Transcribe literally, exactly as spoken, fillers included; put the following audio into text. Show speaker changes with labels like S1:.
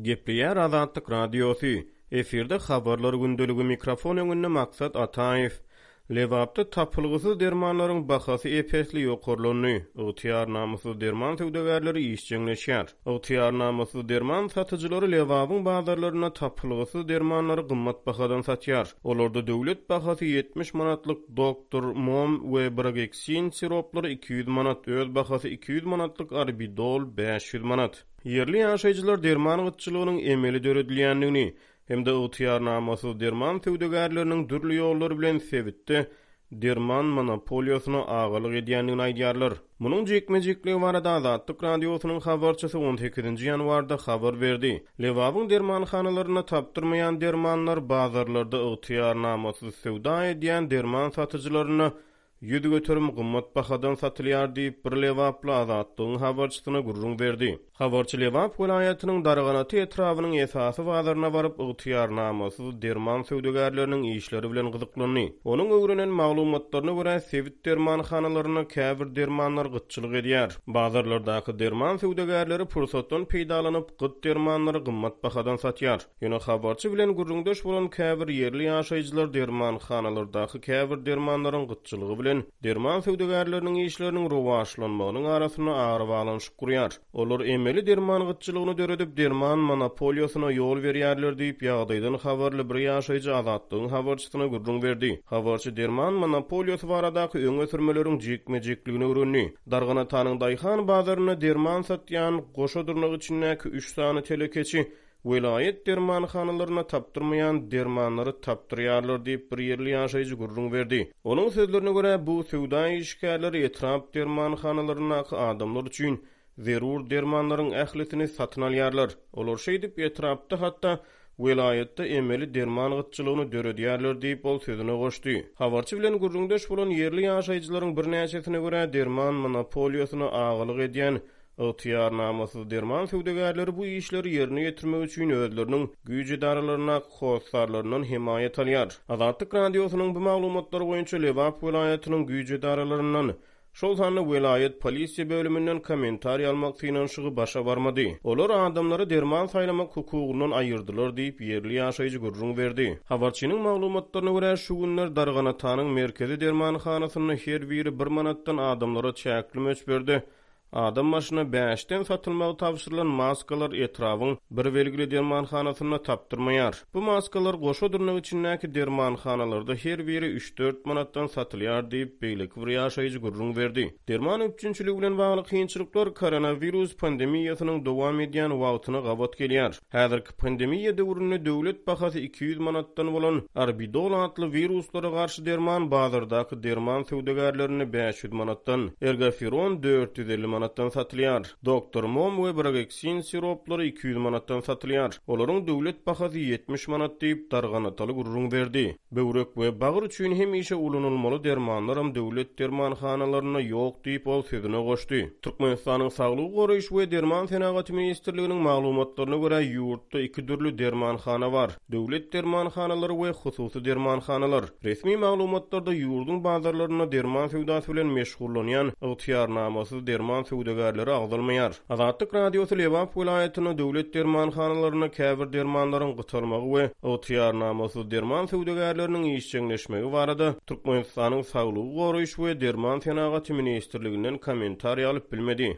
S1: Gepleýär Azatlyk Radiosy, Efirde Habarlar gündeligi, mikrofon öňünde Maksat Ataýew. Lebapda tapylgysyz dermanlaryň bahasy ep-esli ýokarlandy, ygtyýarnamasyz derman söwdagärleri işjeňleşýär. Ygtyýarnamasyz derman satyjylary Lebabyň bazarlarynda tapylgysyz dermanlary gymmat bahadan satýar. Olarda döwlet bahasy ýetmiş manatlyk Doktor Mom we Brageksin siroplary iki ýüz manat, öz bahasy iki ýüz manatlyk Arbidol bäş ýüz manat. Ýerli ýaşaýjylar derman gytçylygynyň emeli döredilýändigini hem-de ygtyýarnamasyz derman söwdagärleriniň dürli ýollar bilen sebitde derman monopoliýasyna agalyk edýändigini aýdýarlar. Munuň jikme-jikligi barada Azatlyk Radiosynyň habarçysy on sekizinji ýanwarda habar berdi. Lebabyň dermanhanalarynda tapdyrmaýan dermanlar bazarlarda ygtyýarnamasyz söwda edýän derman satyjylaryna ýüz göterim gymmat bahadan satylýar diýip, bir lebaply Azatlygyň habarçysyna gürrüň berdi. Habarçy Lebap welaýatynyň Darganata etrabynyň esasy bazaryna baryp, ygtyýarnamasyz derman söwdagärleriniň işleri bilen gyzyklandy. Onuň öwrenen maglumatlaryna görä, sebit dermanhanalarynda käbir dermanlar gytçylyk edýär. Bazarlardaky derman söwdagärleri pursatdan peýdalanyp, gyt dermanlary gymmat bahadan satýar. Ýöne habarçy bilen gürrüňdeş bolan käbir ýerli ýaşaýjylar dermanhanalardaky käbir dermanlaryň gytçylygy bilen derman söwdagärleriniň işleriniň rowaçlanmagynyň arasynda arabaglanyşyk gurýar. Olar emeli derman gytçylygyny döredip, derman monopoliýasyna ýol berýärler diýip, ýagdaýdan habarly bir ýaşaýjy Azatlygyň habarçysyna gürrüň berdi. Habarçy derman monopoliýasy baradaky öňe sürmeleriň jikme-jikligini öwrendi. Darganatanyň daýhan bazarynda derman satýan goşa dyrnak içindäki üç sany telekeçi welaýat dermanhanalarynda tapdyrmaýan dermanlary tapdyrýarlar diýip, bir ýerli ýaşaýjy gürrüň berdi. Onuň sözlerine görä, bu söwda işgärleri etrap dermanhanalaryndaky adamlar üçin zerur dermanlaryň ählisini satyn alýarlar. Olar şeýdip etrapda, hatda welaýatda emeli derman gytçylygyny döredýärler diýip, ol sözüne goşdy. Habarçy bilen gürrüňdeş bolan ýerli ýaşaýjylaryň birnäçesine görä, derman monopoliýasyna agalyk edýän ygtyýarnamasyz derman söwdagärleri bu işleri ýerine ýetirmek üçin özleriniň güýç edaralaryndaky hossarlaryndan hemaýat alýar. Azatlyk Radiosynyň bu maglumatlary boýunça Lebap welaýatynyň güýç edaralaryndan, şol sanda welaýat polisiýa bölüminden kommentariý almak synanyşygy başa barmady. Olar adamlary derman saýlamak hukugyndan aýyrdylar diýip, ýerli ýaşaýjy gürrüň berdi. Habarçynyň maglumatlaryna görä, şu günler Darganatanyň merkezi dermanhanasynda her biri bir manatdan adamlara çäkli möçberde adam başyna bäşden satylmagy tabşyrylan maskalar etrabyň bir belgili dermanhanasynda tapdyrmaýar. Bu maskalar goşa dyrnak içindäki dermanhanalarda her biri üç-dört manatdan satylýar diýip, beýleki bir ýaşaýjy gürrüň berdi. Derman üpjünçiligi bilen bagly kynçylyklar koronawirus pandemiýasynyň dowam edýän wagtyna gabat gelýär. Häzirki pandemiýa döwründe döwlet bahasy iki ýüz manatdan bolan Arbidol atly wiruslara garşy derman bazardaky derman söwdagärlerinde bäş ýüz manatdan, Ergoferon dört ýüz elli manatdan satylýar. Doktor Mom we Brageksin siroplary iki ýüz manatdan satylýar. Olaryň döwlet bahasy ýetmiş manat diýip, Darganataly gürrüň berdi. Böwrek we bagyr üçin hemişe ulanylmaly dermanlaram döwlet dermanhanalarynda ýok diýip, ol sözüne goşdy. Türkmenistanyň Saglygy goraýyş we derman senagaty ministrliginiň maglumatlaryna görä, ýurtda iki dürli dermanhana bar: döwlet dermanhanalary we hususy dermanhanalar. Resmi maglumatlarda ýurduň bazarlarynda derman söwdasy bilen meşgullanýan ygtyýarnamasyz derman söwdagärleri agzalmaýar. Azatlyk Radiosy Lebap welaýatynda döwlet dermanhanalarynda käbir dermanlaryň gytalmagy we ygtyýarnamasyz derman söwdagärleriniň işjeňleşmegi barada Türkmenistanyň Saglygy goraýyş we derman senagaty ministrliginden kommentariý alyp bilmedi.